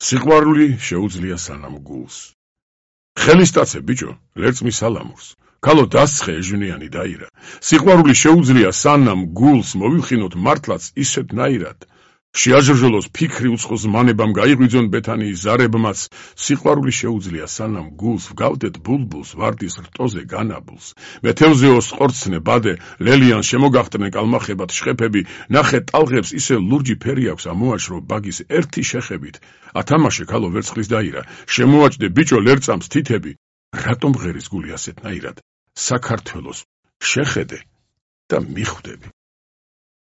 სიყვარული შეუძლია სანამ გულს. ხელისტაცე ბიჭო, ლერწმი სალამურს. ქალო დასცხე ეჟვნიანი დაირა. სიყვარული შეუძლია სანამ გულს მოვიხინოთ მართლაც ისეთნაირად. შეაჟრჟოლოს ფიქრი უცხოს ზმანებამ გაიღვიძონ ბეთანიის ზარებმაც. სიყვარული შეუძლია სანამ გულს ვგავდეთ ბულბულს ვარდის რტოზე განაბულს. მეთევზეოს ყორცნე ბადე ლელიან შემოგახტნენ კალმახებად შხეფები. ნახე ტალღებს ისე ლურჯი ფერი აქვს ამოაჭრო ბაგის ერთი შეხებით. ათამაშე ქალო ვერცხლის დაირა. შემოაჭდე ბიჭო ლერწამს თითები. რატომ ღერის გული ასეთნაირად? საქართველოს შეხედე და მიხვდები.